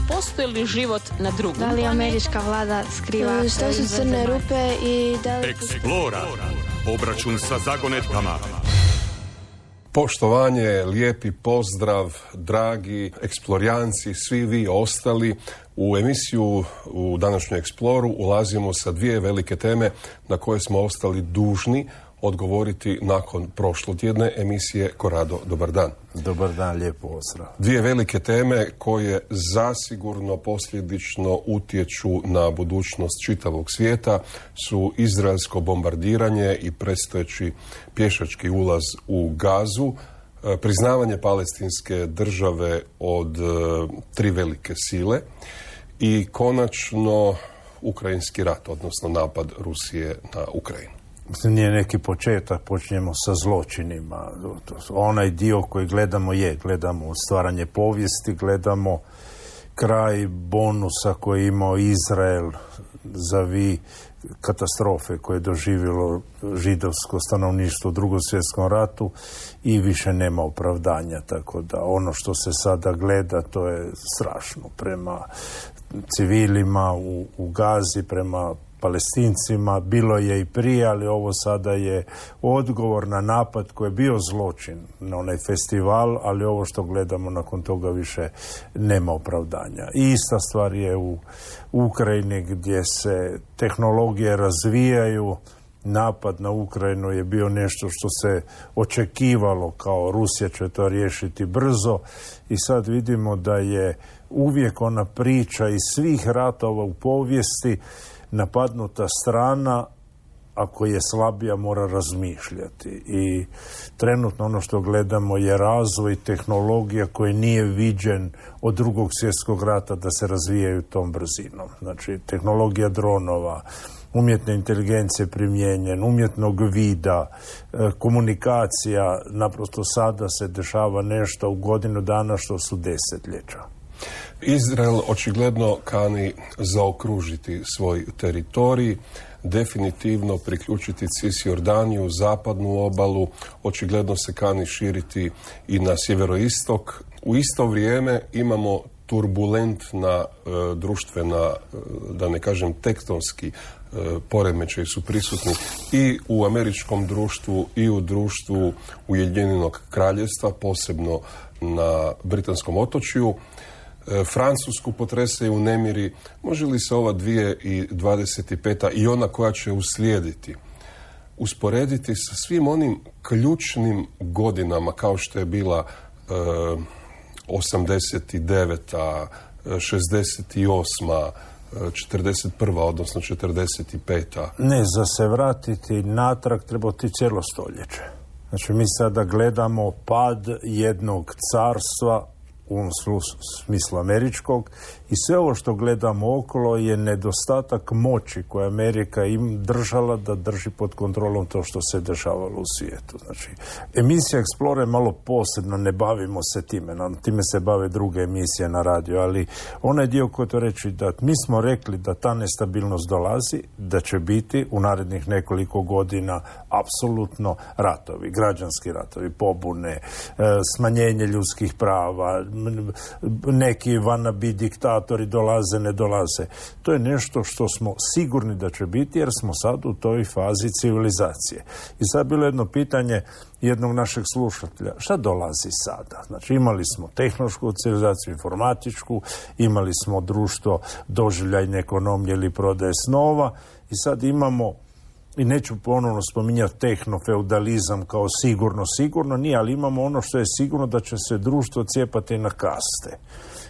postoji li život na drugom? Da li američka vlada skriva što su crne rupe i da li... Explora. Obračun sa zagonetkama. Poštovanje, lijepi pozdrav, dragi eksplorijanci, svi vi ostali. U emisiju u današnju Eksploru ulazimo sa dvije velike teme na koje smo ostali dužni odgovoriti nakon prošlotjedne emisije Korado. Dobar dan. Dobar dan, lijepo pozdrav. Dvije velike teme koje zasigurno posljedično utječu na budućnost čitavog svijeta su izraelsko bombardiranje i predstojeći pješački ulaz u Gazu, priznavanje palestinske države od tri velike sile i konačno ukrajinski rat, odnosno napad Rusije na Ukrajinu. Mislim, nije neki početak, počinjemo sa zločinima. Onaj dio koji gledamo stvaranje povijesti, gledamo kraj bonusa koji je imao Izrael zavi katastrofe koje je doživjelo židovsko stanovništvo u Drugom svjetskom ratu i više nema opravdanja, tako da ono što se sada gleda to je strašno prema civilima u Gazi, prema Palestincima, bilo je i prije, ali ovo sada je odgovor na napad koji je bio zločin na onaj festival, ali ovo što gledamo nakon toga više nema opravdanja. I ista stvar je u Ukrajini gdje se tehnologije razvijaju. Napad na Ukrajinu je bio nešto što se očekivalo, kao Rusija će to riješiti brzo, i sad vidimo da je uvijek ona priča iz svih ratova u povijesti: napadnuta strana, ako je slabija, mora razmišljati. I trenutno ono što gledamo je razvoj tehnologija koji nije viđen od Drugog svjetskog rata da se razvijaju tom brzinom. Znači, tehnologija dronova, umjetne inteligencije primijenjen, umjetnog vida, komunikacija, naprosto sada se dešava nešto u godinu dana što su desetljeća. Izrael očigledno kani zaokružiti svoj teritorij, definitivno priključiti Cisjordaniju, zapadnu obalu, očigledno se kani širiti i na sjeveroistok. U isto vrijeme imamo turbulentna društvena, da ne kažem tektonski, poremećaji su prisutni i u američkom društvu i u društvu Ujedinjenog Kraljevstva, posebno na britanskom otočju. Francusku potresaju nemiri. Može li se ova 2025. i ona koja će uslijediti usporediti sa svim onim ključnim godinama kao što je bila 89., 68., 41. odnosno 45. Ne, za se vratiti natrag treba ti cijelo stoljeće. Znači, mi sada gledamo pad jednog carstva, u ovom smislu američkog, i sve ovo što gledamo okolo je nedostatak moći koje Amerika im držala da drži pod kontrolom to što se dešavalo u svijetu. Znači, emisija Explore je malo posebna, ne bavimo se time, time se bave druge emisije na radiju, ali onaj dio koji to reći da mi smo rekli da ta nestabilnost dolazi, da će biti u narednih nekoliko godina apsolutno ratovi, građanski ratovi, pobune, smanjenje ljudskih prava, neki wannabe diktatori dolaze, ne dolaze. To je nešto što smo sigurni da će biti, jer smo sad u toj fazi civilizacije. I sad bilo jedno pitanje jednog našeg slušatelja: šta dolazi sada? Znači, imali smo tehnološku civilizaciju, informatičku, imali smo društvo doživljajne ekonomije ili prodaje snova, i sad imamo, i neću ponovno spominjati tehnofeudalizam kao sigurno nije, ali imamo ono što je sigurno, da će se društvo cijepati na kaste.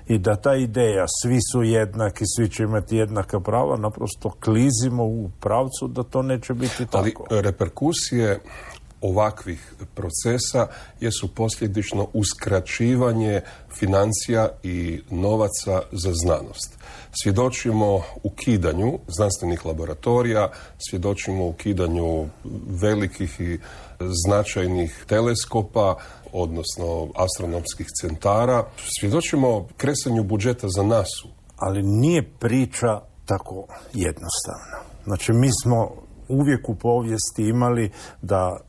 I da ta ideja svi su jednaki, svi će imati jednaka prava, naprosto klizimo u pravcu da to neće biti tako. Ali reperkusije ovakvih procesa jesu posljedično uskraćivanje financija i novaca za znanost. Svjedočimo ukidanju znanstvenih laboratorija, svjedočimo ukidanju velikih i značajnih teleskopa, odnosno astronomskih centara. Svjedočimo kresanju budžeta za NASA-u. Ali nije priča tako jednostavna. Znači, mi smo uvijek u povijesti imali da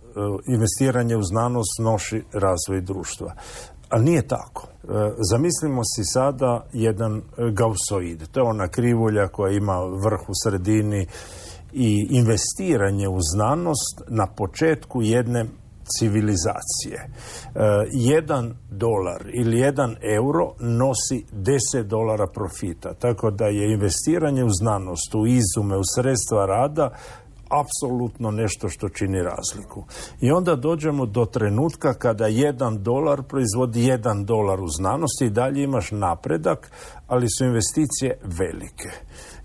investiranje u znanost nosi razvoj društva. Ali nije tako. Zamislimo si sada jedan gausoid. To je ona krivulja koja ima vrh u sredini i investiranje u znanost na početku jedne civilizacije. $1 ili €1 nosi $10 profita. Tako da je investiranje u znanost, u izume, u sredstva rada apsolutno nešto što čini razliku. I onda dođemo do trenutka kada $1 proizvodi $1 u znanosti i dalje imaš napredak, ali su investicije velike.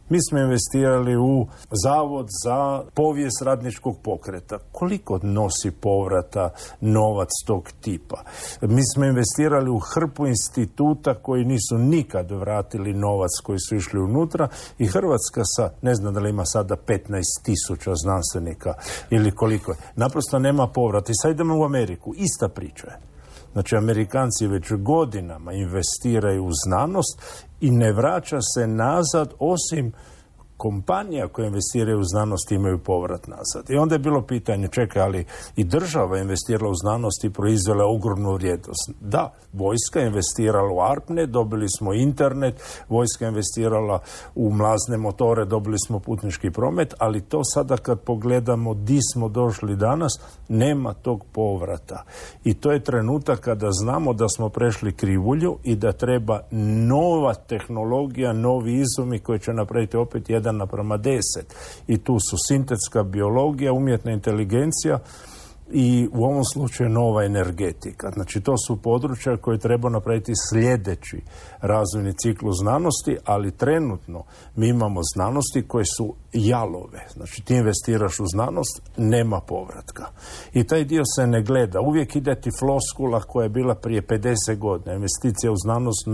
Mi smo investirali u Zavod za povijest radničkog pokreta. Koliko nosi povrata novac tog tipa? Mi smo investirali u hrpu instituta koji nisu nikad vratili novac koji su išli unutra i Hrvatska sa, ne znam da li ima sada 15,000 znanstvenika ili koliko je. Naprosto nema povrata. I sad idemo u Ameriku. Ista priča je. Znači, Amerikanci već godinama investiraju u znanost i ne vraća se nazad, osim kompanija koje investiraju u znanost imaju povrat nazad. I onda je bilo pitanje, čekaj, ali i država investirala u znanost i proizvela ogromnu vrijednost. Da, vojska je investirala u ARPANET, dobili smo internet, vojska je investirala u mlazne motore, dobili smo putnički promet, ali to sada kad pogledamo di smo došli danas, nema tog povrata. I to je trenutak kada znamo da smo prešli krivulju i da treba nova tehnologija, novi izumi koji će napraviti opet 1:10. I tu su sintetska biologija, umjetna inteligencija i u ovom slučaju nova energetika. Znači, to su područja koje treba napraviti sljedeći razvojni ciklus znanosti, ali trenutno mi imamo znanosti koje su jalove. Znači, ti investiraš u znanost, nema povratka. I taj dio se ne gleda. Uvijek ide ti floskula koja je bila prije 50 godina. Investicija u znanost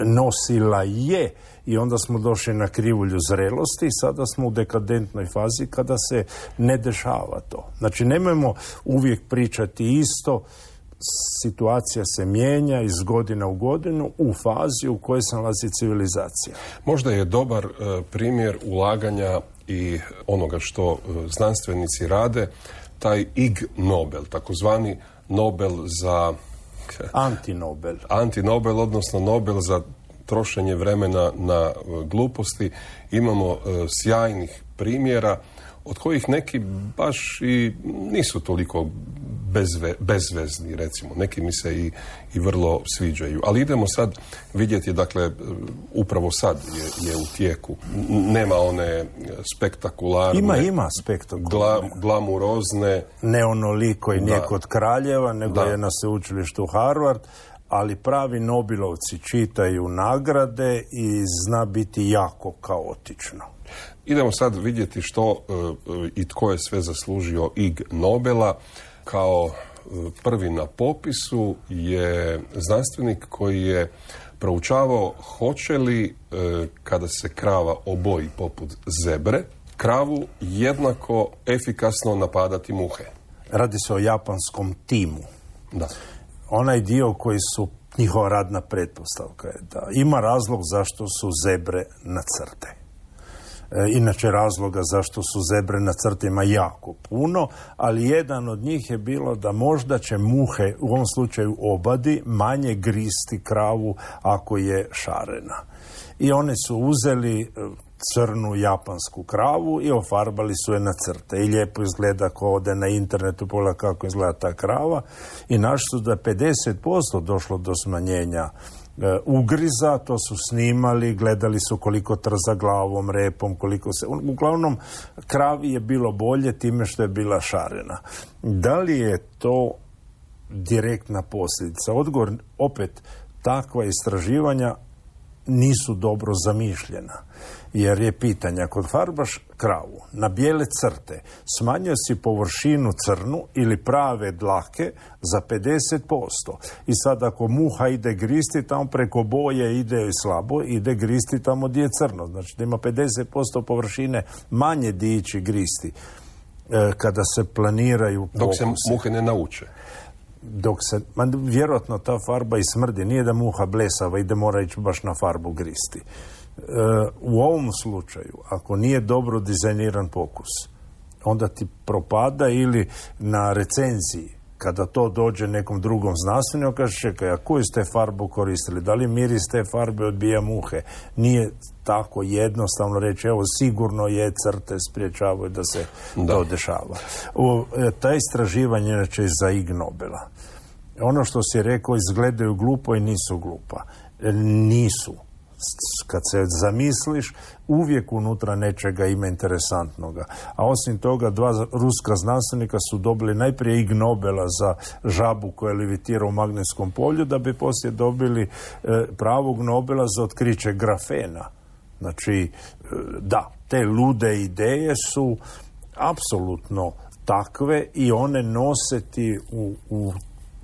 nosila je i onda smo došli na krivulju zrelosti i sada smo u dekadentnoj fazi kada se ne dešava to. Znači, nemojmo uvijek pričati isto, situacija se mijenja iz godina u godinu u fazi u kojoj se nalazi civilizacija. Možda je dobar primjer ulaganja i onoga što znanstvenici rade, taj Ig Nobel, takozvani Nobel za... Antinobel, odnosno Nobel za trošenje vremena na gluposti. Imamo sjajnih primjera od kojih neki baš i nisu toliko bezvezni, recimo. Neki mi se i vrlo sviđaju. Ali idemo sad vidjeti, dakle, upravo sad je u tijeku. Nema one spektakularne... Ima spektakularne. Glamurozne... Ne onoliko i nije kod kraljeva, nego je na sveučilištu Harvard, ali pravi Nobelovci čitaju nagrade i zna biti jako kaotično. Idemo sad vidjeti što i tko je sve zaslužio Ig Nobela. Kao prvi na popisu je znanstvenik koji je proučavao hoće li, kada se krava oboji poput zebre, kravu jednako efikasno napadati muhe. Radi se o japanskom timu. Da. Onaj dio koji su njihova radna pretpostavka je da ima razlog zašto su zebre na crte. Inače, razloga zašto su zebre na crtima jako puno, ali jedan od njih je bilo da možda će muhe, u ovom slučaju obadi, manje gristi kravu ako je šarena. I oni su uzeli crnu japansku kravu i ofarbali su je na crte. I lijepo izgleda ko ode na internetu, pogleda kako izgleda ta krava. I našli su da 50% došlo do smanjenja ugriza, to su snimali, gledali su koliko trza glavom, repom, koliko se... Uglavnom, kravi je bilo bolje time što je bila šarena. Da li je to direktna posljedica? Odgovor, opet, takva istraživanja nisu dobro zamišljena. Jer je pitanje, ako farbaš kravu na bijele crte, smanjio si površinu crnu ili prave dlake za 50%. I sad ako muha ide gristi, tamo preko boje ide slabo, ide gristi tamo gdje je crno. Znači da ima 50% površine manje di ići gristi kada se planiraju pokusi. Dok se muhe ne nauče. Vjerojatno ta farba i smrdi. Nije da muha blesava i da mora ići baš na farbu gristi. U ovom slučaju, ako nije dobro dizajniran pokus, onda ti propada ili na recenziji kada to dođe nekom drugom znanstveniku, kaže, čekaj, a koju ste farbu koristili? Da li miris te farbe odbija muhe? Nije tako jednostavno reći, evo, sigurno je, crte spriječavaju da se to dešava. Ta istraživanja inače za Ig Nobela. Ono što si rekao, izgledaju glupo i nisu glupa. Nisu. Kad se zamisliš, uvijek unutra nečega ima interesantnoga. A osim toga, 2 ruska znanstvenika su dobili najprije Ig Nobela za žabu koja levitira u magnetskom polju, da bi poslije dobili pravog Nobela za otkriće grafena. Znači, da, te lude ideje su apsolutno takve i one nose ti u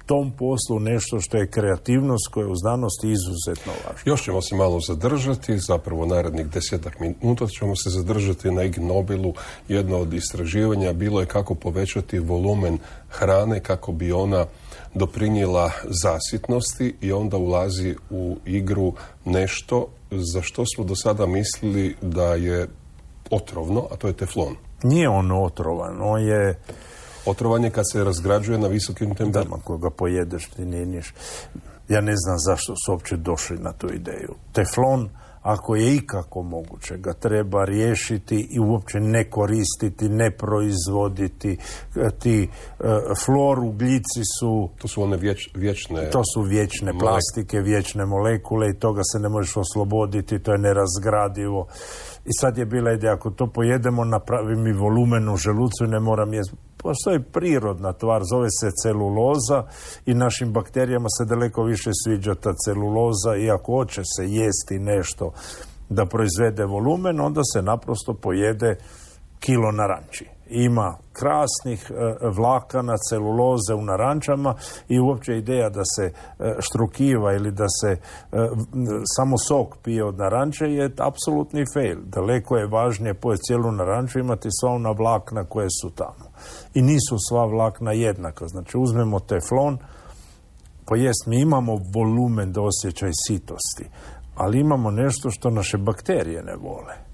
tom poslu nešto što je kreativnost koja je u znanosti izuzetno važna. Još ćemo se malo zadržati, zapravo narednih 10 minuta ćemo se zadržati na Ig Nobelu. Jedno od istraživanja bilo je kako povećati volumen hrane kako bi ona doprinijela zasitnosti i onda ulazi u igru nešto za što smo do sada mislili da je otrovno, a to je teflon. Nije on otrovan, on je... Otrovan je kad se razgrađuje na visokim temperaturama. Ako ga pojedeš, ti nije niš. Ja ne znam zašto su uopće došli na tu ideju. Teflon, ako je ikako moguće, ga treba riješiti i uopće ne koristiti, ne proizvoditi. Ti fluoroglici su... To su one vječne... To su vječne plastike, vječne molekule i toga se ne možeš osloboditi, to je nerazgradivo. I sad je bila ideja, ako to pojedemo, napravi mi volumen u želucu i ne moram jesti. Postoji prirodna tvar, zove se celuloza i našim bakterijama se daleko više sviđa ta celuloza i ako hoće se jesti nešto da proizvede volumen, onda se naprosto pojede kilo naranči. Ima krasnih vlakana, celuloze u narančama i uopće ideja da se štrukiva ili da se samo sok pije od naranče je apsolutni fail. Daleko je važnije pojeti cijelu naranču, imati sva ona vlakna koje su tamo. I nisu sva vlakna jednaka. Znači uzmemo teflon, mi imamo volumen da osjećaj sitosti, ali imamo nešto što naše bakterije ne vole.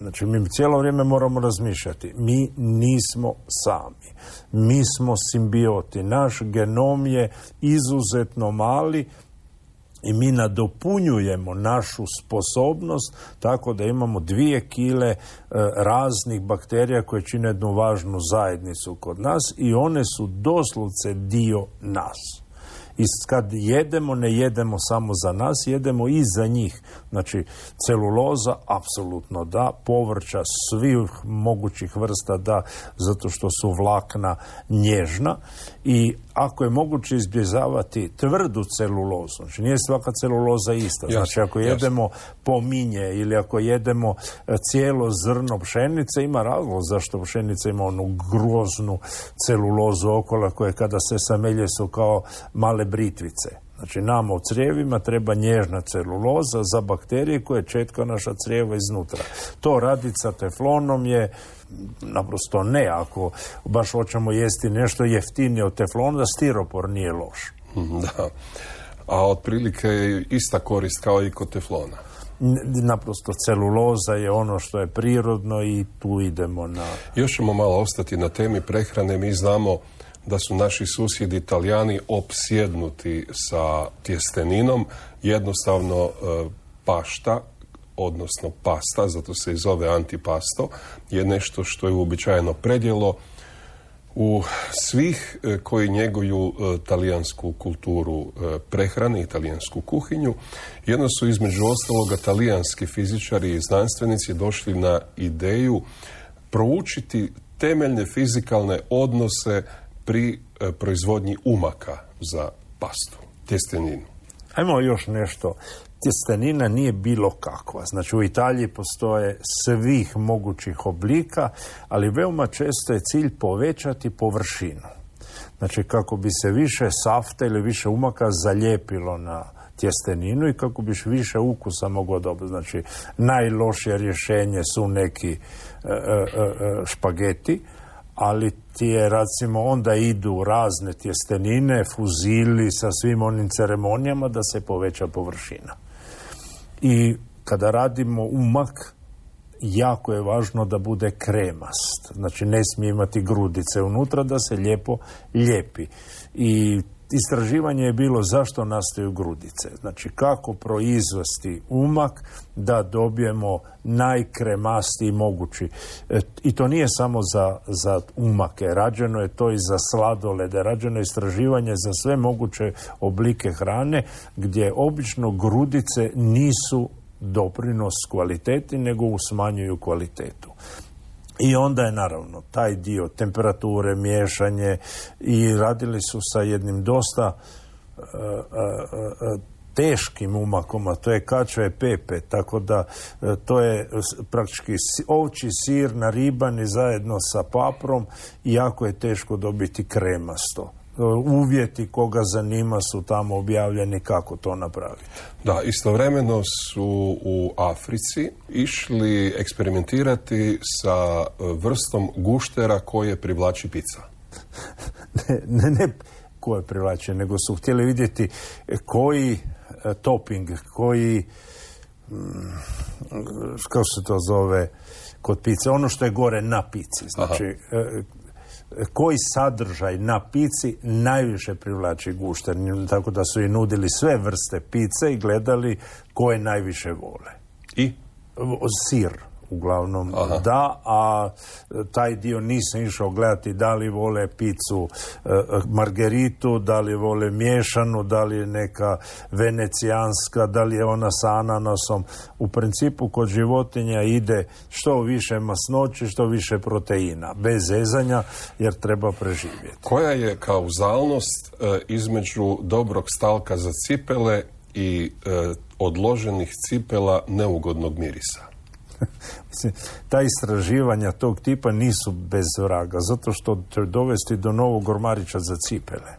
Znači, mi cijelo vrijeme moramo razmišljati. Mi nismo sami. Mi smo simbioti. Naš genom je izuzetno mali i mi nadopunjujemo našu sposobnost tako da imamo 2 kile raznih bakterija koje čine jednu važnu zajednicu kod nas i one su doslovce dio nas. I kad jedemo, ne jedemo samo za nas, jedemo i za njih. Znači, celuloza, apsolutno da, povrća svih mogućih vrsta da, zato što su vlakna nježna. I ako je moguće izbjegavati tvrdu celulozu, znači nije svaka celuloza ista. Znači, ako jedemo pominje ili ako jedemo cijelo zrno pšenice, ima razlog zašto pšenica ima onu groznu celulozu okolo koje kada se samelje su kao male britvice. Znači, nama u crijevima treba nježna celuloza za bakterije koje četka naša crijeva iznutra. To raditi sa teflonom je naprosto ne. Ako baš hoćemo jesti nešto jeftinije od teflona, stiropor nije loš. Da. A otprilike je ista korist kao i kod teflona. Naprosto celuloza je ono što je prirodno i tu idemo na... Još ćemo malo ostati na temi prehrane. Mi znamo da su naši susjedi Italijani opsjednuti sa tjesteninom. Jednostavno pašta, odnosno pasta, zato se i zove antipasto, je nešto što je uobičajeno predjelo u svih koji njeguju talijansku kulturu prehrane i talijansku kuhinju. Jedno su između ostaloga talijanski fizičari i znanstvenici došli na ideju proučiti temeljne fizikalne odnose pri proizvodnji umaka za pastu, tjesteninu. Ajmo još nešto. Tjestenina nije bilo kakva. Znači u Italiji postoje svih mogućih oblika, ali veoma često je cilj povećati površinu. Znači kako bi se više safta ili više umaka zalijepilo na tjesteninu i kako biš više ukusa moglo dobiti. Znači najlošije rješenje su neki špageti, ali ti je, recimo, onda idu razne tjestenine, fuzili sa svim onim ceremonijama da se poveća površina. I kada radimo umak, jako je važno da bude kremast. Znači ne smije imati grudice unutra, da se lijepo lijepi. I istraživanje je bilo zašto nastaju grudice. Znači kako proizvesti umak da dobijemo najkremastiji mogući. I to nije samo za umake. Rađeno je to i za sladolede. Rađeno je istraživanje za sve moguće oblike hrane gdje obično grudice nisu doprinos kvaliteti, nego smanjuju kvalitetu. I onda je naravno taj dio temperature, miješanje i radili su sa jednim dosta teškim umakom, a to je kača e pepe, tako da to je praktički ovčji sir naribani zajedno sa paprom i jako je teško dobiti kremasto. Uvjeti koga zanima su tamo objavljeni kako to napraviti. Da, istovremeno su u Africi išli eksperimentirati sa vrstom guštera koje privlači pizza. Ne koje privlači, nego su htjeli vidjeti koji topping, koji kako se to zove kod pice, ono što je gore na pici, znači koji sadržaj na pici najviše privlači gušter, tako da su i nudili sve vrste pice i gledali koje najviše vole. I? Sir, uglavnom. Da, a taj dio nisam išao gledati da li vole picu margeritu, da li vole miješanu, da li je neka venecijanska, da li je ona sa ananasom. U principu kod životinja ide što više masnoće, što više proteina, bez zezanja, jer treba preživjeti. Koja je kauzalnost između dobrog stalka za cipele i odloženih cipela neugodnog mirisa? Mislim, ta istraživanja tog tipa nisu bez vraga, zato što će dovesti do novog ormarića za cipele.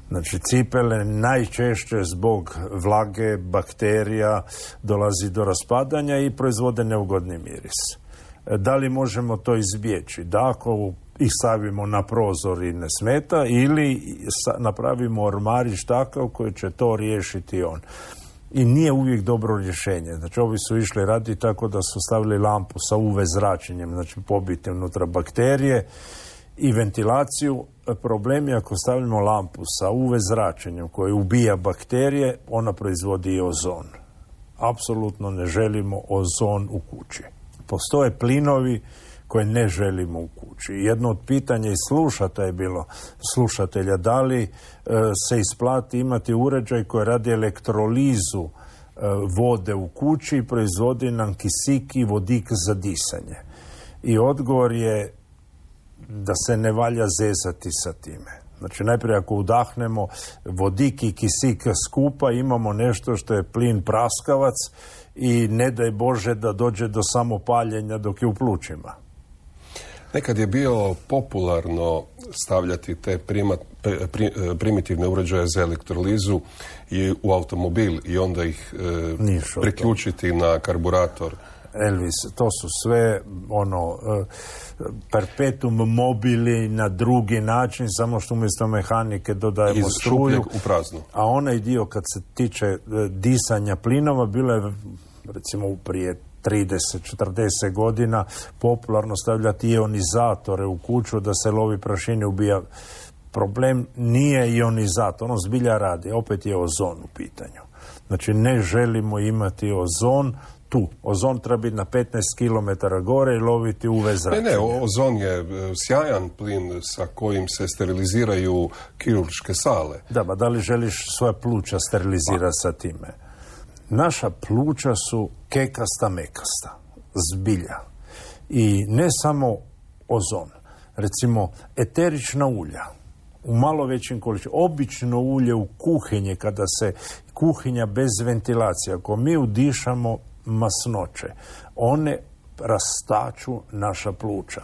Znači, cipele najčešće zbog vlage, bakterija, dolazi do raspadanja i proizvode neugodni miris. Da li možemo to izbjeći? Da, ako ih stavimo na prozor i ne smeta, ili napravimo ormarić takav koji će to riješiti on. I nije uvijek dobro rješenje. Znači, ovi su išli raditi tako da su stavili lampu sa UV zračenjem, znači pobiti unutra bakterije i ventilaciju. Problem je ako stavimo lampu sa UV zračenjem koje ubija bakterije, ona proizvodi i ozon. Apsolutno ne želimo ozon u kući. Postoje plinovi koje ne želimo u kući. Jedno od pitanja i slušatelja, da li se isplati imati uređaj koji radi elektrolizu vode u kući i proizvodi nam kisik i vodik za disanje. I odgovor je da se ne valja zezati sa time. Znači, najprije ako udahnemo vodik i kisik skupa, imamo nešto što je plin praskavac i ne daj Bože da dođe do samopaljenja dok je u plućima. Nekad je bio popularno stavljati te primitivne uređaje za elektrolizu i u automobil i onda ih priključiti na karburator. Elvis, to su sve perpetuum mobili na drugi način, samo što umjesto mehanike dodajemo struju. U praznu. A onaj dio kad se tiče disanja plinova, bilo je recimo prije 30-40 godina popularno stavljati ionizatore u kuću da se lovi prašine, ubija. Problem nije ionizator, ono zbilja radi, opet je ozon u pitanju. Znači ne želimo imati ozon tu. Ozon treba biti na 15 km gore i loviti UV zračenje. Ne, ozon je sjajan plin sa kojim se steriliziraju kirurške sale. Da li želiš svoja pluća sterilizirati sa time? Naša pluća su kekasta, mekasta, zbilja. I ne samo ozon. Recimo, eterična ulja u malo većim količinama. Obično ulje u kuhinji, kada se kuhinja bez ventilacije, ako mi udišamo masnoće, one rastaču naša pluća.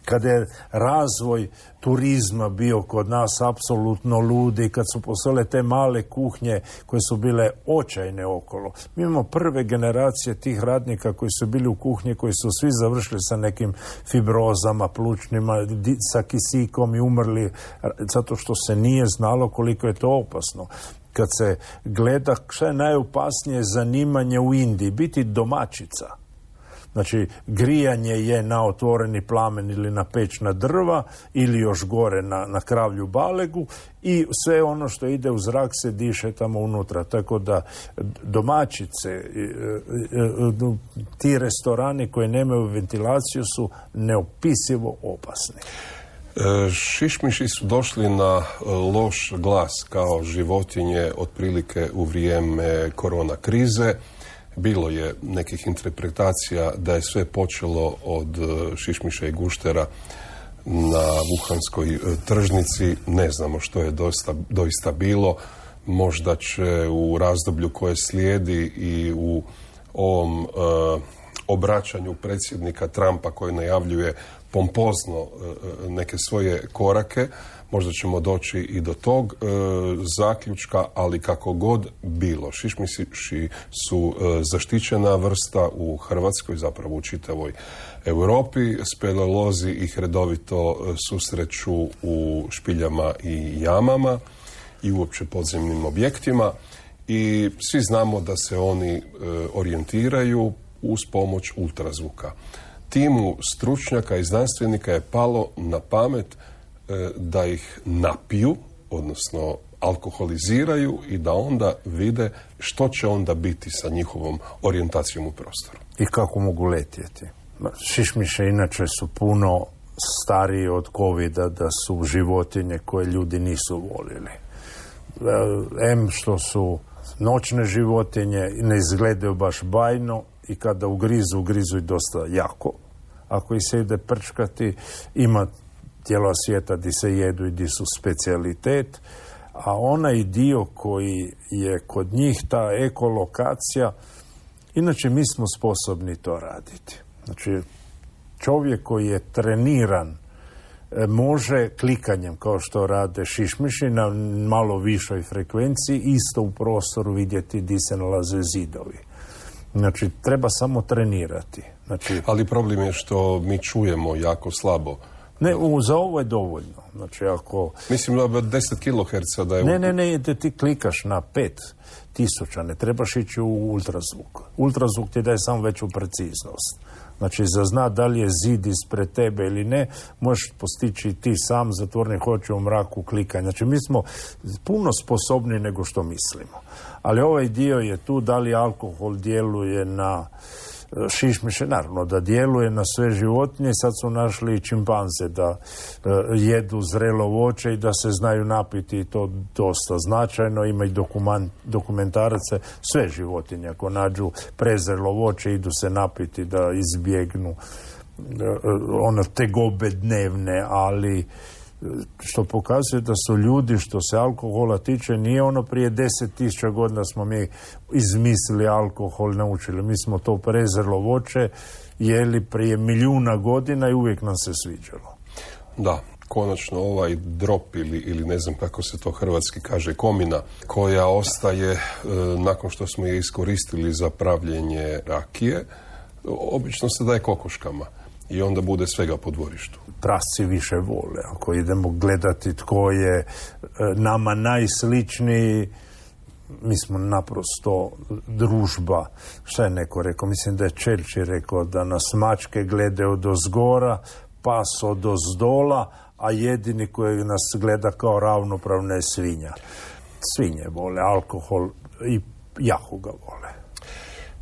Kada je razvoj turizma bio kod nas apsolutno ludi, kad su postojale te male kuhnje koje su bile očajne okolo. Mi imamo prve generacije tih radnika koji su bili u kuhnji, koji su svi završili sa nekim fibrozama, plućnima, sa kisikom i umrli, zato što se nije znalo koliko je to opasno. Kad se gleda šta je najopasnije zanimanje u Indiji, biti domaćica. Znači, grijanje je na otvoreni plamen ili na pećna drva ili još gore na kravlju balegu i sve ono što ide u zrak se diše tamo unutra. Tako da domaćice, ti restorani koji nemaju ventilaciju su neopisivo opasni. Šišmiši su došli na loš glas kao životinje otprilike u vrijeme korona krize. Bilo je nekih interpretacija da je sve počelo od šišmiša i guštera na Wuhanskoj tržnici. Ne znamo što je doista bilo. Možda će u razdoblju koje slijedi i u ovom obraćanju predsjednika Trumpa koji najavljuje pompozno neke svoje korake, možda ćemo doći i do tog zaključka, ali kako god bilo. Šišmiši su zaštićena vrsta u Hrvatskoj, zapravo u čitavoj Europi. Speleolozi ih redovito susreću u špiljama i jamama i uopće podzemnim objektima i svi znamo da se oni orijentiraju uz pomoć ultrazvuka. Timu stručnjaka i znanstvenika je palo na pamet da ih napiju, odnosno alkoholiziraju i da onda vide što će onda biti sa njihovom orijentacijom u prostoru. I kako mogu letjeti. Šišmiše inače su puno stariji od covida, da su životinje koje ljudi nisu volili. Što su noćne životinje, ne izgledaju baš bajno i kada ugrizu i dosta jako. Ako ih se ide prčkati, ima tijela svijeta di se jedu i di su specijalitet, a onaj dio koji je kod njih ta ekolokacija, inače mi smo sposobni to raditi. Znači, čovjek koji je treniran može klikanjem, kao što rade šišmiši, na malo višoj frekvenciji, isto u prostoru vidjeti di se nalaze zidovi. Znači, treba samo trenirati. Znači, ali problem je što mi čujemo jako slabo. Ne, za ovo je dovoljno. Znači, ako... Mislim da 10 kHz da je... Ne, ti klikaš na 5000, ne trebaš ići u ultrazvuk. Ultrazvuk ti daje samo veću preciznost. Znači, za zna da li je zid ispred tebe ili ne, možeš postići ti sam zatvornih oči u mraku klikanja. Znači, mi smo puno sposobni nego što mislimo. Ali ovaj dio je tu, da li alkohol djeluje na šišmiše, naravno da djeluje na sve životinje. Sad su našli i čimpanze da jedu zrelo voće i da se znaju napiti, i to dosta značajno. Ima i dokumentarace, sve životinje ako nađu prezrelo voće idu se napiti da izbjegnu tegobe dnevne, ali što pokazuje da su ljudi, što se alkohola tiče, nije ono prije 10.000 godina smo mi izmislili alkohol, naučili. Mi smo to prezrelo voće jeli prije milijuna godina i uvijek nam se sviđalo. Da, konačno ovaj drop ili ne znam kako se to hrvatski kaže, komina, koja ostaje nakon što smo je iskoristili za pravljenje rakije, obično se daje kokoškama i onda bude svega po dvorištu. Prasci više vole. Ako idemo gledati tko je nama najsličniji, mi smo naprosto družba. Šta je neko rekao? Mislim da je Churchill rekao da nas mačke gledaju odozgora, pas odozdola, a jedini koji nas gleda kao ravnopravna je svinja. Svinje vole alkohol i jako ga vole.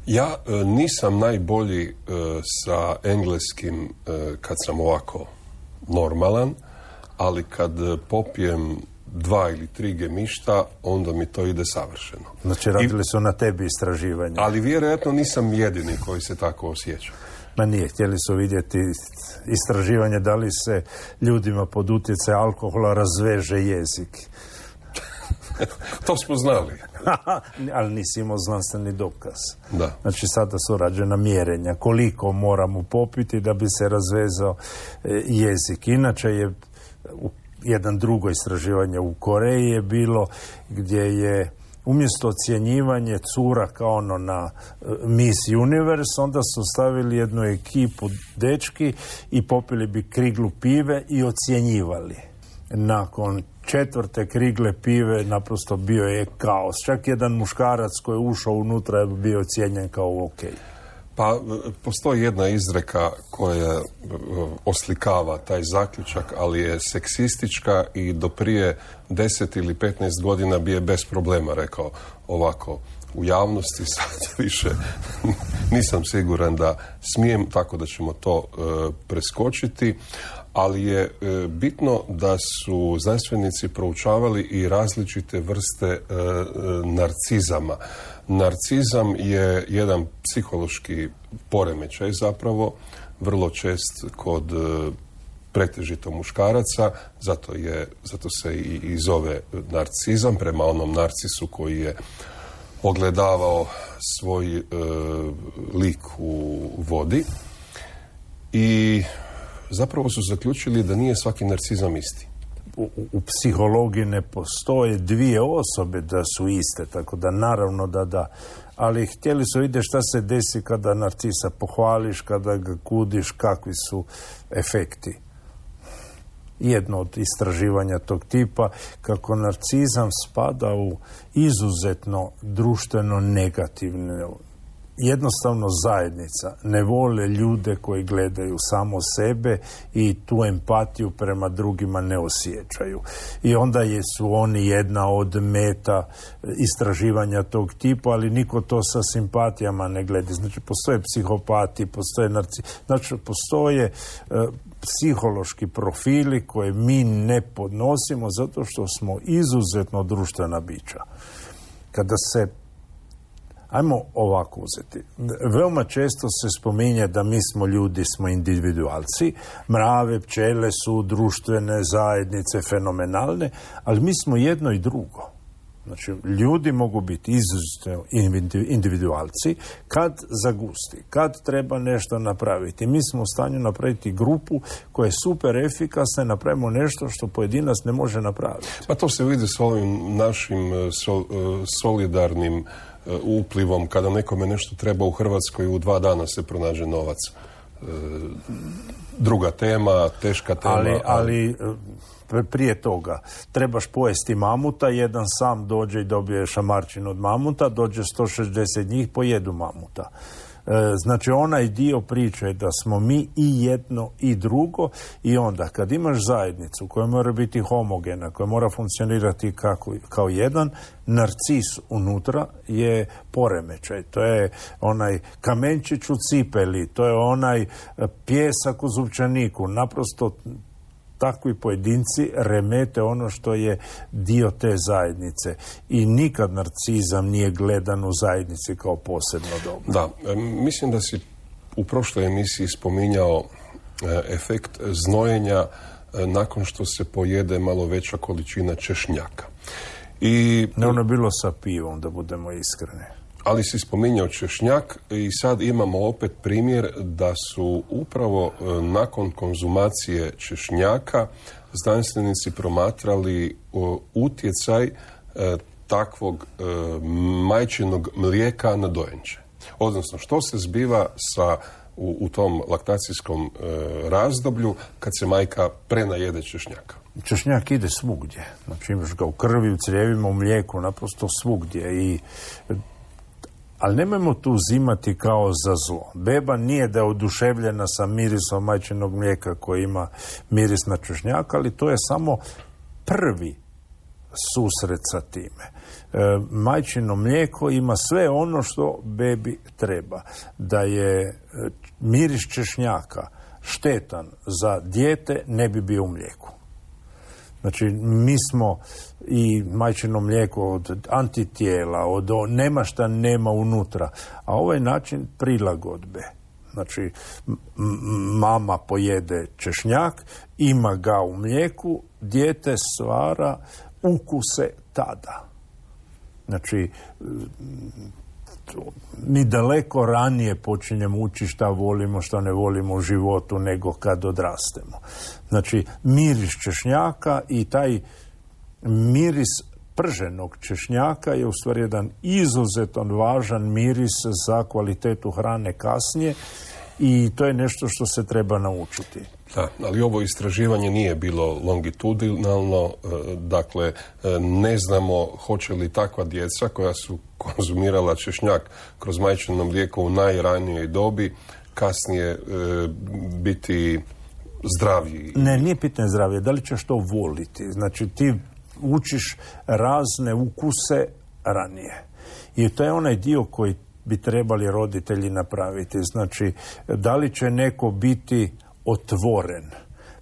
Ja nisam najbolji sa engleskim kad sam ovako normalan, ali kad popijem 2 ili 3 gemišta, onda mi to ide savršeno. Znači, radili su na tebi istraživanje. Ali vjerojatno nisam jedini koji se tako osjeća. Ma nije, htjeli su vidjeti istraživanje da li se ljudima pod utjecajem alkohola razveže jezik. To smo znali. Ali nisi imao znanstveni dokaz. Da. Znači, sada su rađena mjerenja koliko moramo popiti da bi se razvezao jezik. Inače je jedan drugo istraživanje u Koreji je bilo gdje je umjesto ocjenjivanje cura kao ono na Miss Universe, onda su stavili jednu ekipu dečki i popili bi kriglu pive i ocjenjivali. Nakon 4. krigle pive naprosto bio je kaos. Čak jedan muškarac koji je ušao unutra je bio ocijenjen kao ok. Pa postoji jedna izreka koja oslikava taj zaključak, ali je seksistička i do prije 10 ili 15 godina bi je bez problema rekao ovako u javnosti. Sad više nisam siguran da smijem, tako da ćemo to preskočiti. Ali je bitno da su znanstvenici proučavali i različite vrste narcizama. Narcizam je jedan psihološki poremećaj zapravo, vrlo čest kod pretežito muškaraca, zato se i zove narcizam, prema onom narcisu koji je ogledavao svoj lik u vodi. I zapravo su zaključili da nije svaki narcizam isti. U psihologiji ne postoje dvije osobe da su iste, tako da naravno da, ali htjeli su vidjeti šta se desi kada narcisa pohvališ, kada ga kudiš, kakvi su efekti. Jedno od istraživanja tog tipa, kako narcizam spada u izuzetno društveno negativne. Jednostavno zajednica ne vole ljude koji gledaju samo sebe i tu empatiju prema drugima ne osjećaju. I onda su oni jedna od meta istraživanja tog tipa, ali niko to sa simpatijama ne gleda. Znači, postoje psihopati, postoje znači, postoje psihološki profili koje mi ne podnosimo zato što smo izuzetno društvena bića. Kada se ajmo ovako uzeti. Veoma često se spominje da mi smo ljudi, smo individualci. Mrave, pčele su društvene zajednice, fenomenalne, ali mi smo jedno i drugo. Znači, ljudi mogu biti izuzetno individualci kad zagusti, kad treba nešto napraviti. Mi smo u stanju napraviti grupu koja je super efikasna, napravimo nešto što pojedinac ne može napraviti. Pa to se vidi s ovim našim solidarnim uplivom, kada nekome nešto treba u Hrvatskoj, u 2 dana se pronađe novac. Druga tema, teška tema. Ali prije toga trebaš pojesti mamuta, jedan sam dođe i dobije šamarčinu od mamuta, dođe 160 njih, pojedu mamuta. Znači, onaj dio priče je da smo mi i jedno i drugo, i onda kad imaš zajednicu koja mora biti homogena, koja mora funkcionirati kao jedan, narcis unutra je poremećaj. To je onaj kamenčić u cipeli, to je onaj pijesak u zupčaniku. Naprosto takvi pojedinci remete ono što je dio te zajednice. I nikad narcizam nije gledan u zajednici kao posebno dobro. Da, mislim da si u prošloj emisiji spominjao efekt znojenja nakon što se pojede malo veća količina češnjaka. Ne, ono je bilo sa pivom, da budemo iskreni. Ali si spominjao češnjak i sad imamo opet primjer da su upravo nakon konzumacije češnjaka znanstvenici promatrali utjecaj takvog majčinog mlijeka na dojenče. Odnosno, što se zbiva u tom laktacijskom razdoblju kad se majka prenajede češnjaka. Češnjak ide svugdje. Znači, imaš ga u krvi, u crijevima, u mlijeku, naprosto svugdje. Ali nemojmo tu uzimati kao za zlo. Beba nije da je oduševljena sa mirisom majčinog mlijeka koji ima miris na češnjak, ali to je samo prvi susret sa time. Majčino mlijeko ima sve ono što bebi treba. Da je miris češnjaka štetan za dijete, ne bi bio u mlijeku. Znači, mi smo i majčino mlijeko od antitijela, nema šta nema unutra, a ovaj način prilagodbe. Znači, mama pojede češnjak, ima ga u mlijeku, dijete stvara ukuse tada. Znači, mi daleko ranije počinjemo učiti šta volimo, šta ne volimo u životu nego kad odrastemo. Znači, miris češnjaka i taj miris prženog češnjaka je u stvari jedan izuzetno važan miris za kvalitetu hrane kasnije i to je nešto što se treba naučiti. Da, ali ovo istraživanje nije bilo longitudinalno, dakle ne znamo hoće li takva djeca koja su konzumirala češnjak kroz majčino mlijeko u najranijoj dobi kasnije biti zdraviji. Ne, nije pitanje zdravije, da li ćeš to voliti. Znači ti učiš razne ukuse ranije. I to je onaj dio koji bi trebali roditelji napraviti. Znači, da li će neko biti otvoren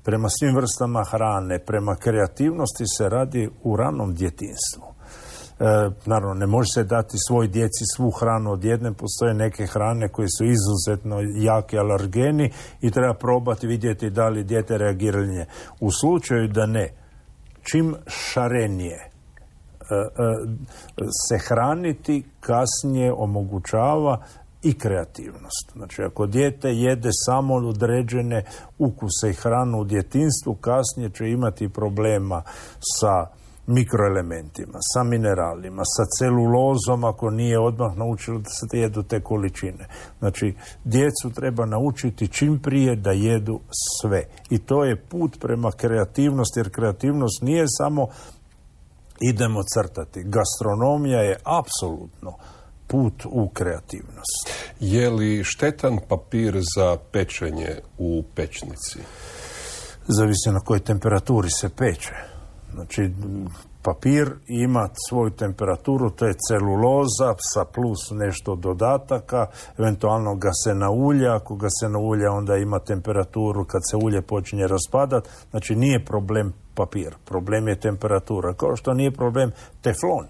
prema svim vrstama hrane, prema kreativnosti se radi u ranom djetinjstvu. Naravno, ne može se dati svoj djeci svu hranu odjednom, postoje neke hrane koje su izuzetno jaki alergeni i treba probati vidjeti da li dijete reagira na nje. U slučaju da ne, čim šarenije se hraniti kasnije omogućava i kreativnost. Znači, ako dijete jede samo određene ukuse i hranu u djetinjstvu, kasnije će imati problema sa mikroelementima, sa mineralima, sa celulozom ako nije odmah naučilo da se jedu te količine. Znači, djecu treba naučiti čim prije da jedu sve. I to je put prema kreativnosti, jer kreativnost nije samo idemo crtati. Gastronomija je apsolutno put u kreativnost. Je li štetan papir za pečenje u pečnici? Zavisi na kojoj temperaturi se peče. Znači, papir ima svoju temperaturu, to je celuloza sa plus nešto dodataka, eventualno ga se naulja, ako ga se naulja onda ima temperaturu kad se ulje počinje raspadati, znači nije problem papir, problem je temperatura, kao što nije problem teflon,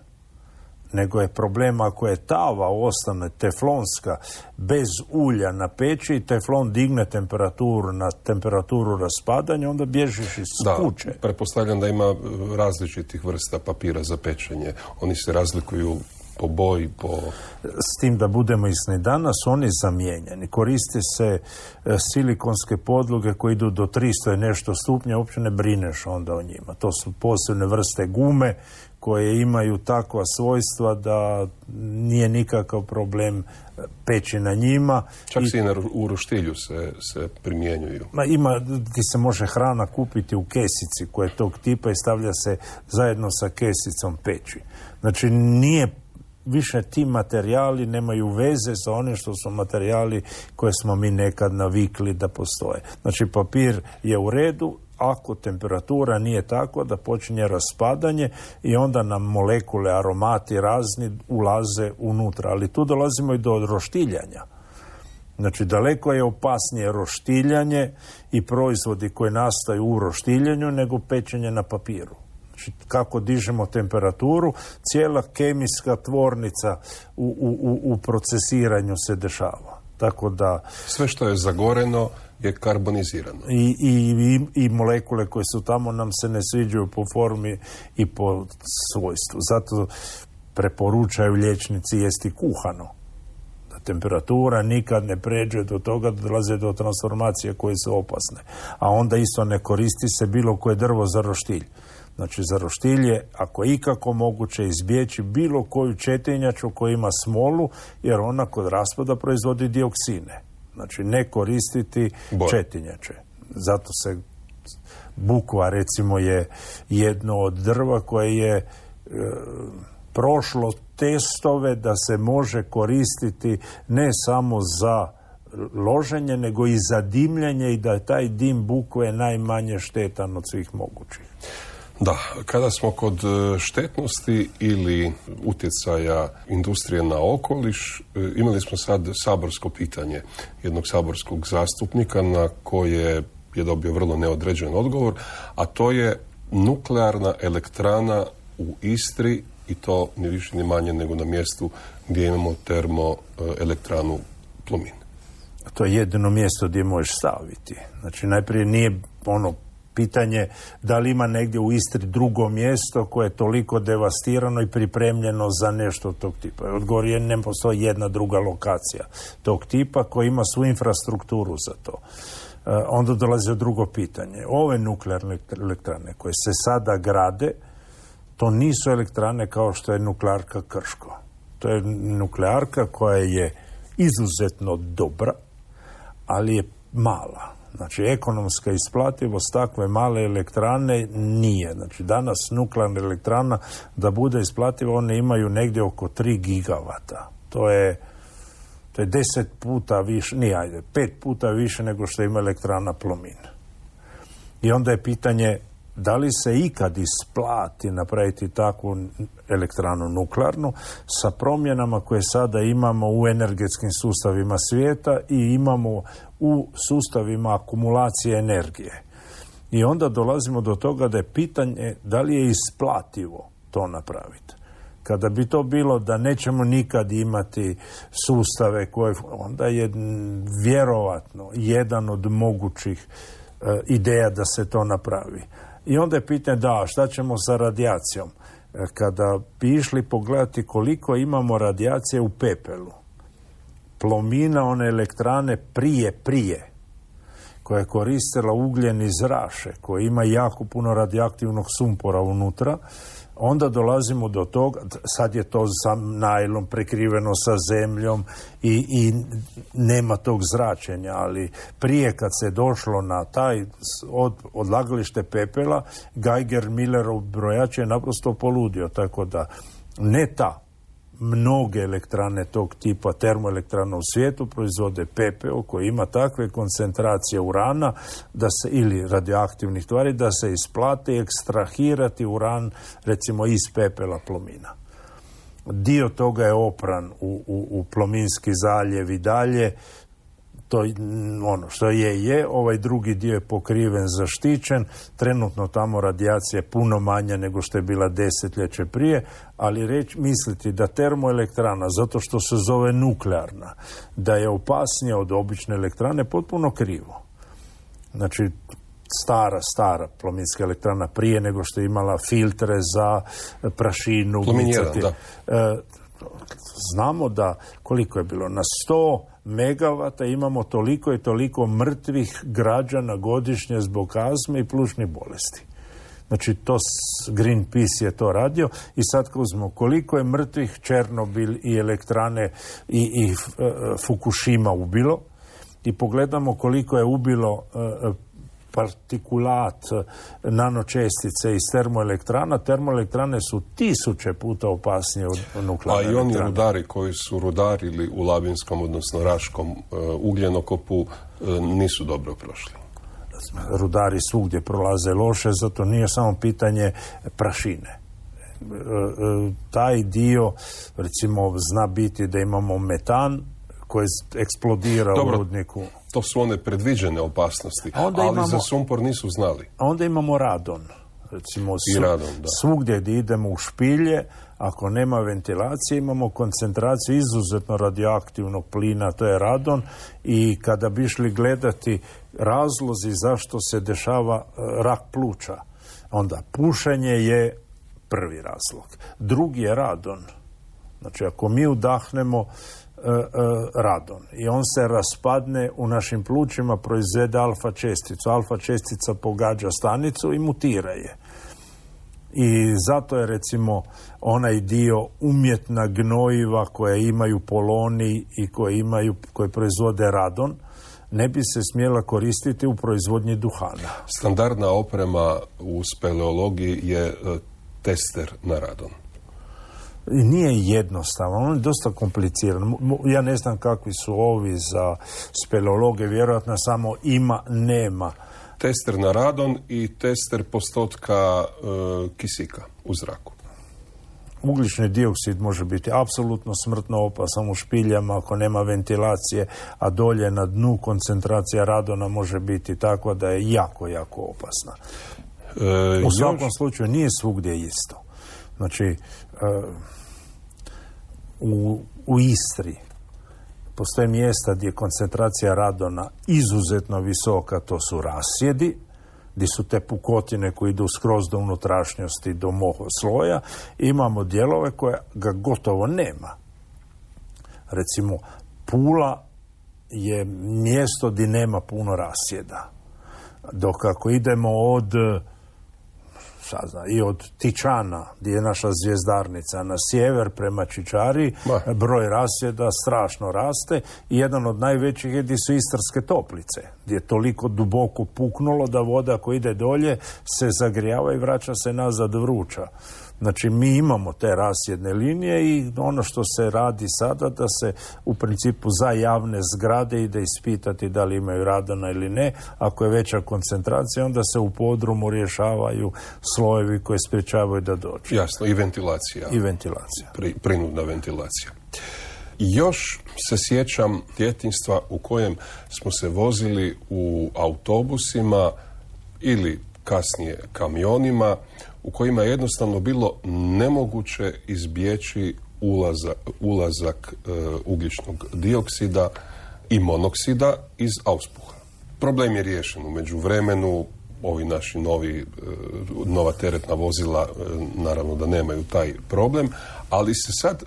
nego je problem ako je tava ostane teflonska bez ulja na peći, teflon digne temperaturu na temperaturu raspadanja, onda bježiš iz kuće. Da, pretpostavljam da ima različitih vrsta papira za pečenje. Oni se razlikuju po boji, po... S tim da budemo isni, danas oni zamijenjeni. Koriste se silikonske podloge koje idu do 300 i nešto stupnja, uopće ne brineš onda o njima. To su posebne vrste gume koje imaju takva svojstva da nije nikakav problem peći na njima. Čak i u roštilju se primjenjuju. Ti se može hrana kupiti u kesici koja je tog tipa i stavlja se zajedno sa kesicom peći. Znači nije više ti materijali nemaju veze sa onim što su materijali koje smo mi nekad navikli da postoje. Znači papir je u redu ako temperatura nije tako da počinje raspadanje i onda nam molekule, aromati razni ulaze unutra. Ali tu dolazimo i do roštiljanja. Znači daleko je opasnije roštiljanje i proizvodi koji nastaju u roštiljanju nego pečenje na papiru. Znači, kako dižemo temperaturu, cijela kemijska tvornica u procesiranju se dešava. Tako da... Sve što je zagoreno je karbonizirano. I molekule koje su tamo nam se ne sviđaju po formi i po svojstvu. Zato preporučaju liječnici jesti kuhano. Da temperatura nikad ne pređe do toga da dolaze do transformacije koje su opasne. A onda isto ne koristi se bilo koje drvo za roštilj. Znači, za roštilj je, ako je ikako moguće, izbjeći bilo koju četinjaču koja ima smolu, jer ona kod raspada proizvodi dioksine. Znači, ne koristiti četinjače. Zato se bukva, recimo, je jedno od drva koje je prošlo testove da se može koristiti ne samo za loženje, nego i za dimljenje i da je taj dim bukve najmanje štetan od svih mogućih. Da, kada smo kod štetnosti ili utjecaja industrije na okoliš, imali smo sad saborsko pitanje jednog saborskog zastupnika na koje je dobio vrlo neodređen odgovor, a to je nuklearna elektrana u Istri i to ni više ni manje nego na mjestu gdje imamo termoelektranu Plomin. To je jedino mjesto gdje možeš staviti. Znači, najprije nije pitanje da li ima negdje u Istri drugo mjesto koje je toliko devastirano i pripremljeno za nešto tog tipa. Odgovor je, ne postoji jedna druga lokacija tog tipa koja ima svu infrastrukturu za to. Onda dolazi drugo pitanje. Ove nuklearne elektrane koje se sada grade, to nisu elektrane kao što je nuklearka Krško. To je nuklearka koja je izuzetno dobra, ali je mala. Znači, ekonomska isplativost takve male elektrane nije. Znači, danas nuklearna elektrana da bude isplativa, one imaju negdje oko 3 gigavata. To je 10 puta više, 5 puta više nego što ima elektrana Plomin. I onda je pitanje da li se ikad isplati napraviti takvu elektranu nuklearnu sa promjenama koje sada imamo u energetskim sustavima svijeta i imamo u sustavima akumulacije energije. I onda dolazimo do toga da je pitanje da li je isplativo to napraviti. Kada bi to bilo da nećemo nikad imati sustave koje, onda je vjerovatno jedan od mogućih ideja da se to napravi. I onda je pitanje šta ćemo sa radijacijom. Kada bi išli pogledati koliko imamo radijacije u pepelu, Plomina, one elektrane prije, koja je koristila ugljen iz Raše, koja ima jako puno radioaktivnog sumpora unutra, onda dolazimo do toga, sad je to sa najlom prekriveno sa zemljom i nema tog zračenja, ali prije kad se došlo na taj odlagalište pepela, Geiger-Millerov brojač je naprosto poludio, tako da ne ta. Mnoge elektrane tog tipa, termoelektrana u svijetu, proizvode pepeo koji ima takve koncentracije urana ili radioaktivnih tvari da se isplate ekstrahirati uran recimo iz pepela Plomina. Dio toga je opran u Plominski zaljev i dalje. To ono što je, ovaj drugi dio je pokriven, zaštićen, trenutno tamo radijacija je puno manja nego što je bila desetljeće prije, ali misliti da termoelektrana, zato što se zove nuklearna, da je opasnija od obične elektrane, potpuno krivo. Znači, stara Plominska elektrana prije nego što je imala filtre za prašinu. Plomin 1, da. Znamo da koliko je bilo, na 100 megavata imamo toliko i toliko mrtvih građana godišnje zbog astme i plućnih bolesti. Znači, to Greenpeace je to radio i sad kad uzmemo koliko je mrtvih Černobil i elektrane i Fukushima ubilo i pogledamo koliko je ubilo partikulat, nanočestice iz termoelektrane su 1000 puta opasnije od nuklearne elektrane. A i oni rudari koji su rudarili u Labinskom, odnosno Raškom ugljenokopu, nisu dobro prošli. Rudari svugdje prolaze loše, zato nije samo pitanje prašine. Taj dio, recimo, zna biti da imamo metan koji eksplodira u rudniku. To su one predviđene opasnosti, ali za sumpor nisu znali. A onda imamo radon. Recimo, radon, svugdje gdje idemo u špilje, ako nema ventilacije, imamo koncentraciju izuzetno radioaktivnog plina, to je radon, i kada bi išli gledati razlozi zašto se dešava rak pluća, onda pušenje je prvi razlog. Drugi je radon. Znači, ako mi udahnemo radon i on se raspadne u našim plućima, proizvede alfa česticu. Alfa čestica pogađa stanicu i mutira je. I zato je, recimo, onaj dio umjetna gnojiva koje imaju poloni i koje proizvode radon, ne bi se smjela koristiti u proizvodnji duhana. Standardna oprema u speleologiji je tester na radon. Nije jednostavno, on je dosta kompliciran. Ja ne znam kakvi su ovi za speleologe, vjerojatno samo ima, nema. Tester na radon i tester postotka kisika u zraku. Ugljični dioksid može biti apsolutno smrtno opasan u špiljama ako nema ventilacije, a dolje na dnu koncentracija radona može biti takva da je jako, jako opasna. U svakom slučaju nije svugdje isto. Znači, u Istri postoje mjesta gdje je koncentracija radona izuzetno visoka, to su rasjedi, gdje su te pukotine koje idu skroz do unutrašnjosti, do sloja. Imamo dijelove koje ga gotovo nema. Recimo, Pula je mjesto gdje nema puno rasjeda. Dok ako idemo od I od Tičana, gdje je naša zvjezdarnica, na sjever prema Čičari, broj rasjeda strašno raste i jedan od najvećih je gdje su Istarske toplice, gdje je toliko duboko puknulo da voda koja ide dolje se zagrijava i vraća se nazad vruća. Znači, mi imamo te rasjedne linije i ono što se radi sada da se u principu za javne zgrade ide ispitati da li imaju radona ili ne. Ako je veća koncentracija, onda se u podrumu rješavaju slojevi koji sprječavaju da dođe. Jasno, i ventilacija. I ventilacija. Prinudna ventilacija. Još se sjećam djetinjstva u kojem smo se vozili u autobusima ili kasnije kamionima, u kojima je jednostavno bilo nemoguće izbjeći ulazak ugljičnog dioksida i monoksida iz auspuha. Problem je riješen u međuvremenu, ovi naši nova teretna vozila naravno da nemaju taj problem, ali se sad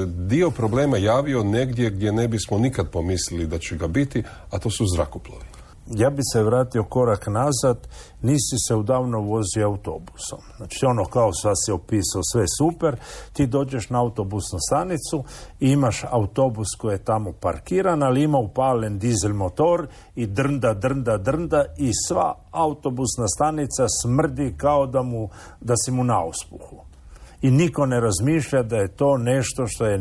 dio problema javio negdje gdje ne bismo nikad pomislili da će ga biti, a to su zrakoplovi. Ja bi se vratio korak nazad, nisi se udavno vozio autobusom. Znači ono kao sad si opisao sve super, ti dođeš na autobusnu stanicu i imaš autobus koji je tamo parkiran, ali ima upalen dizel motor i drnda i sva autobusna stanica smrdi kao da si mu na auspuhu. I niko ne razmišlja da je to nešto što je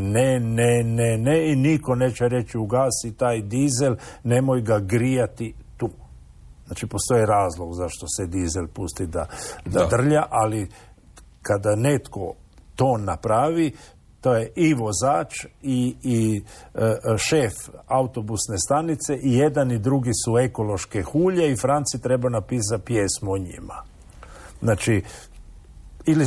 ne i niko neće reći ugasi taj dizel, nemoj ga grijati tu. Znači postoji razlog zašto se dizel pusti da drlja, ali kada netko to napravi, to je i vozač i šef autobusne stanice i jedan i drugi su ekološke hulje i Franci treba napisati pjesmu o njima. Znači,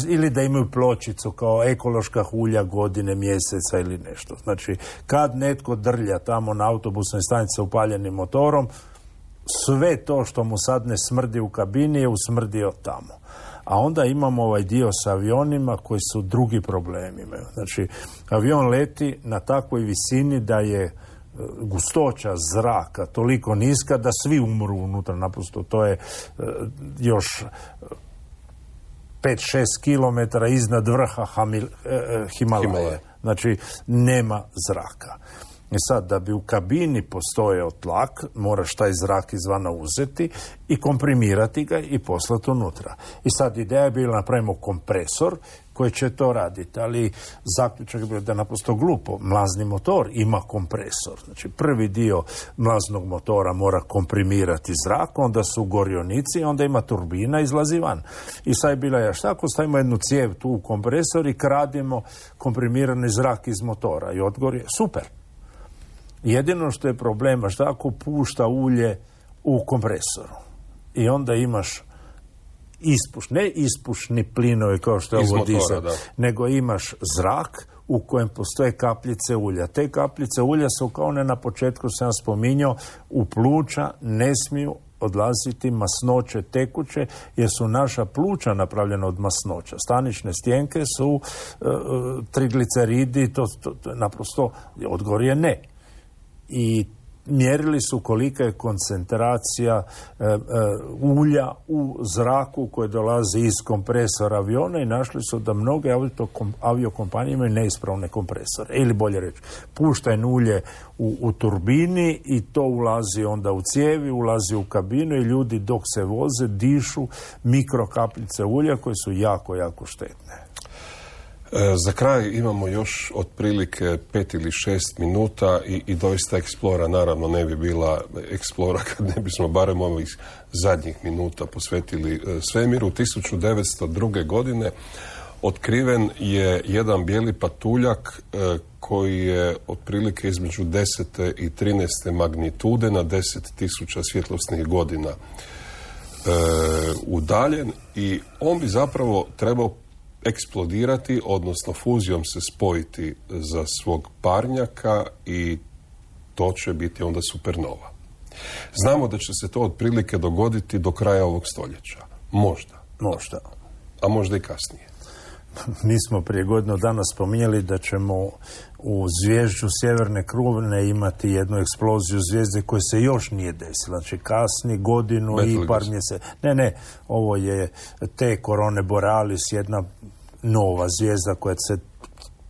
ili da imaju pločicu kao ekološka hulja godine, mjeseca ili nešto. Znači, kad netko drlja tamo na autobusnoj stanici upaljenim motorom, sve to što mu sad ne smrdi u kabini je usmrdio tamo. A onda imamo ovaj dio sa avionima koji su drugi problemi. Znači, avion leti na takvoj visini da je gustoća zraka toliko niska da svi umru unutra. Naprosto to je još 5-6 kilometara iznad vrha Himalaje. Znači, nema zraka. I sad, da bi u kabini postojao tlak, moraš taj zrak izvana uzeti i komprimirati ga i poslati unutra. I sad, ideja je bila napravimo kompresor koji će to raditi, ali zaključak je bio da je naprosto glupo. Mlazni motor ima kompresor. Znači, prvi dio mlaznog motora mora komprimirati zrak, onda su gorionici, onda ima turbina, izlazi van. I sad je bila šta ako stavimo jednu cijev tu u kompresor i kradimo komprimirani zrak iz motora i odgor je super. Jedino što je problema, šta ako pušta ulje u kompresoru i onda imaš ne ispušni plinovi kao što je ovo dizel, nego imaš zrak u kojem postoje kapljice ulja. Te kapljice ulja su kao ne na početku sam spominjao, u pluća ne smiju odlaziti masnoće tekuće, jer su naša pluća napravljena od masnoća. Stanične stjenke su trigliceridi, to naprosto odgovor je ne. I mjerili su kolika je koncentracija ulja u zraku koje dolazi iz kompresora aviona i našli su da mnoge aviokompanije imaju neispravne kompresore. Ili bolje reći, puštajno ulje u turbini i to ulazi onda u cijevi, ulazi u kabinu i ljudi dok se voze dišu mikrokapljice ulja koje su jako, jako štetne. Za kraj imamo još otprilike 5 ili 6 minuta i doista Explora naravno ne bi bila Explora kad ne bismo barem ovih zadnjih minuta posvetili svemiru. 1902. godine otkriven je jedan bijeli patuljak koji je otprilike između 10. i 13. magnitude na 10.000 svjetlosnih godina udaljen i on bi zapravo trebao eksplodirati, odnosno fuzijom se spojiti za svog parnjaka i to će biti onda supernova. Znamo da će se to otprilike dogoditi do kraja ovog stoljeća. Možda. Možda. A možda i kasnije. Mi smo prije godinu dana spominjali da ćemo u zvježđu Sjeverne krune imati jednu eksploziju zvijezde koja se još nije desila. Znači kasni godinu i par mjeseci. Ne, ovo je te Corone Borealis, jedna nova zvijezda koja se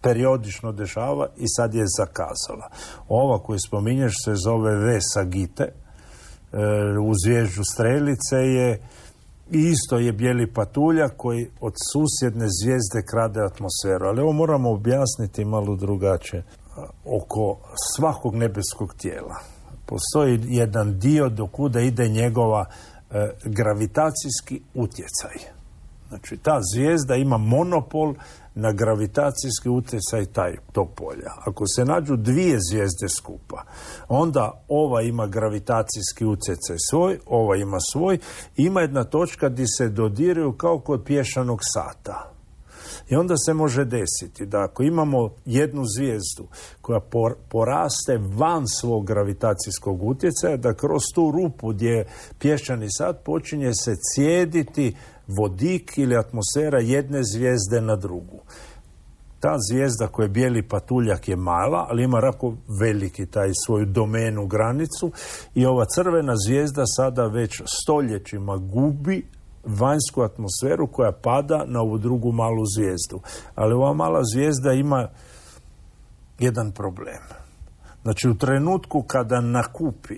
periodično dešava i sad je zakazala. Ova koju spominješ se zove V Sagittae, u zvježđu Strelice je i isto je bijeli patuljak koji od susjedne zvijezde krade atmosferu. Ali ovo moramo objasniti malo drugačije. Oko svakog nebeskog tijela postoji jedan dio do kuda ide njegova gravitacijski utjecaj. Znači, ta zvijezda ima monopol na gravitacijski utjecaj tog polja. Ako se nađu dvije zvijezde skupa, onda ova ima gravitacijski utjecaj svoj, ova ima svoj, ima jedna točka gdje se dodiruju kao kod pješanog sata. I onda se može desiti da ako imamo jednu zvijezdu koja poraste van svog gravitacijskog utjecaja, da kroz tu rupu gdje je pješčani sat počinje se cijediti vodik ili atmosfera jedne zvijezde na drugu. Ta zvijezda koja je bijeli patuljak je mala, ali ima jako veliki taj svoju domenu, granicu, i ova crvena zvijezda sada već stoljećima gubi vanjsku atmosferu koja pada na ovu drugu malu zvijezdu. Ali ova mala zvijezda ima jedan problem. Znači, u trenutku kada nakupi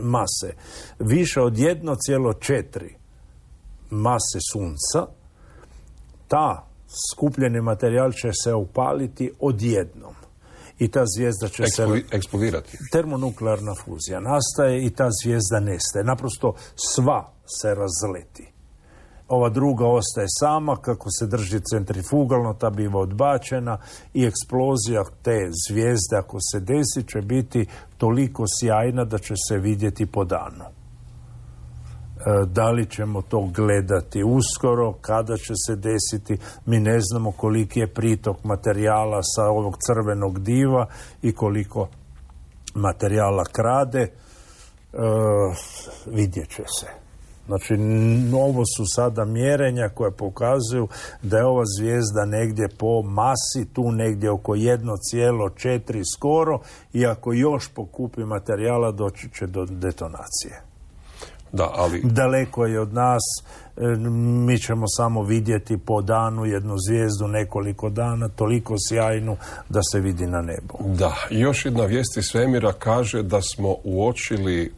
mase više od 1,4 mase sunca, ta skupljeni materijal će se upaliti odjednom. I ta zvijezda će eksplodirati. Termonuklearna fuzija nastaje i ta zvijezda nestaje. Naprosto sva se razleti. Ova druga ostaje sama, kako se drži centrifugalno, ta biva odbačena i eksplozija te zvijezde, ako se desi, će biti toliko sjajna da će se vidjeti po danu. Da li ćemo to gledati uskoro, kada će se desiti, mi ne znamo koliki je pritok materijala sa ovog crvenog diva i koliko materijala krade, vidjet će se. Znači, ovo su sada mjerenja koje pokazuju da je ova zvijezda negdje po masi, tu negdje oko 1,4 skoro, i ako još pokupi materijala doći će do detonacije. Da, ali daleko je od nas, mi ćemo samo vidjeti po danu jednu zvijezdu nekoliko dana, toliko sjajnu da se vidi na nebu. Da, još jedna vijest iz svemira kaže da smo uočili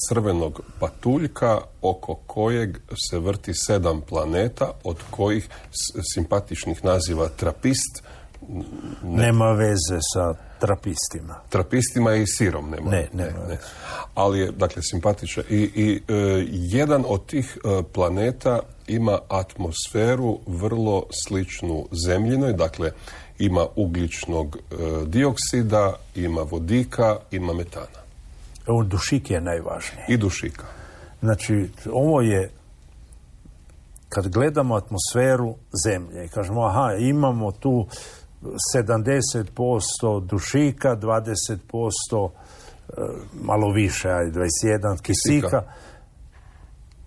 crvenog patuljka oko kojeg se vrti 7 planeta, od kojih simpatičnih naziva Trapist nema veze sa trapistima. Trapistima i sirom nema. Ne. Ali je, dakle, simpatičan. I jedan od tih planeta ima atmosferu vrlo sličnu Zemljinoj, dakle, ima ugljičnog dioksida, ima vodika, ima metana. Dušik je najvažniji. I dušika. Znači, ovo je, kad gledamo atmosferu Zemlje i kažemo, imamo tu 70% dušika, 20% malo više, 21 kisika.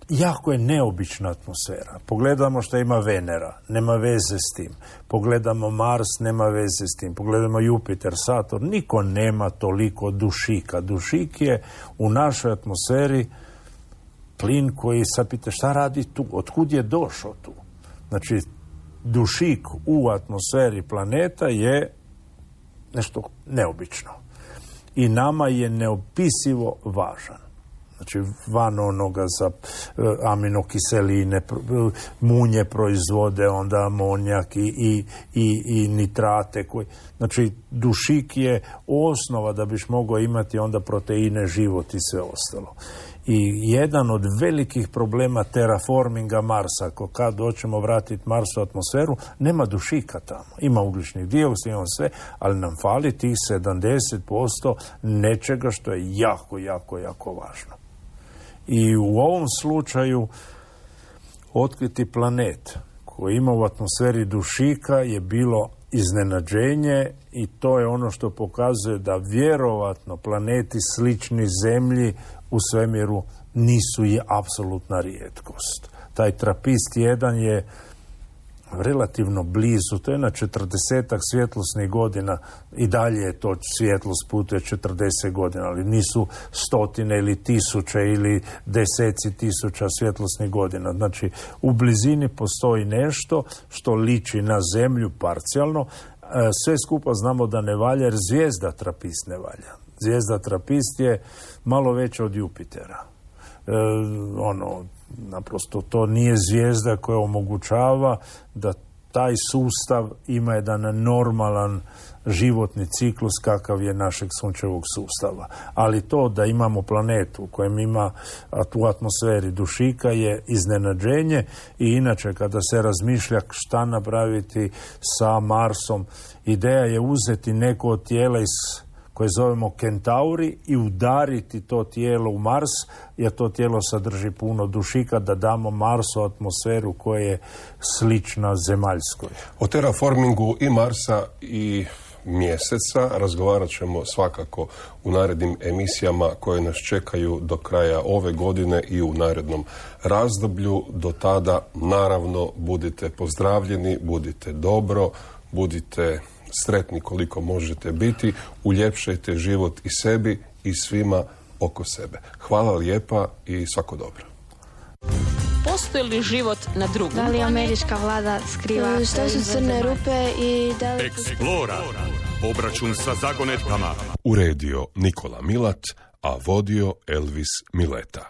Jako je neobična atmosfera. Pogledamo što ima Venera, nema veze s tim. Pogledamo Mars, nema veze s tim. Pogledamo Jupiter, Saturn, niko nema toliko dušika. Dušik je u našoj atmosferi plin koji, sad pita, šta radi tu? Otkud je došao tu? Znači, dušik u atmosferi planeta je nešto neobično. I nama je neopisivo važan. Znači, van onoga za aminokiseline, munje proizvode, onda amonijak i nitrate. Znači, dušik je osnova da biš mogao imati onda proteine, život i sve ostalo. I jedan od velikih problema terraforminga Marsa, kad hoćemo vratiti Marsu atmosferu, nema dušika tamo. Ima ugljičnih dioksida, ima sve, ali nam fali tih 70% nečega što je jako, jako, jako važno. I u ovom slučaju otkriti planet koji ima u atmosferi dušika je bilo iznenađenje, i to je ono što pokazuje da vjerovatno planeti slični Zemlji u svemiru nisu je apsolutna rijetkost. Taj Trapist 1 je relativno blizu, to je na 40 svjetlosnih godina, i dalje je to svjetlost putuje 40 godina, ali nisu stotine ili tisuće ili deseci tisuća svjetlosnih godina. Znači, u blizini postoji nešto što liči na zemlju parcijalno. Sve skupa znamo da ne valja, jer zvijezda Trapist ne valja. Zvijezda Trapist je malo veća od Jupitera. Naprosto to nije zvijezda koja omogućava da taj sustav ima jedan normalan životni ciklus kakav je našeg sunčevog sustava. Ali to da imamo planetu u kojem ima u atmosferi dušika je iznenađenje, i inače kada se razmišlja šta napraviti sa Marsom, ideja je uzeti neko od tijela koje zovemo Kentauri i udariti to tijelo u Mars, jer to tijelo sadrži puno dušika, da damo Marsu atmosferu koja je slična zemaljskoj. O terraformingu i Marsa i Mjeseca razgovarat ćemo svakako u narednim emisijama koje nas čekaju do kraja ove godine i u narednom razdoblju. Do tada, naravno, budite pozdravljeni, budite dobro, budite sretni koliko možete biti, uljepšajte život i sebi i svima oko sebe. Hvala lijepa i svako dobro. Postoji li život na drugom? Da li američka vlada skriva? Što su crne rupe i da li... Explora. Obračun sa zagonetkama. Uredio Nikola Milat, a vodio Elvis Mileta.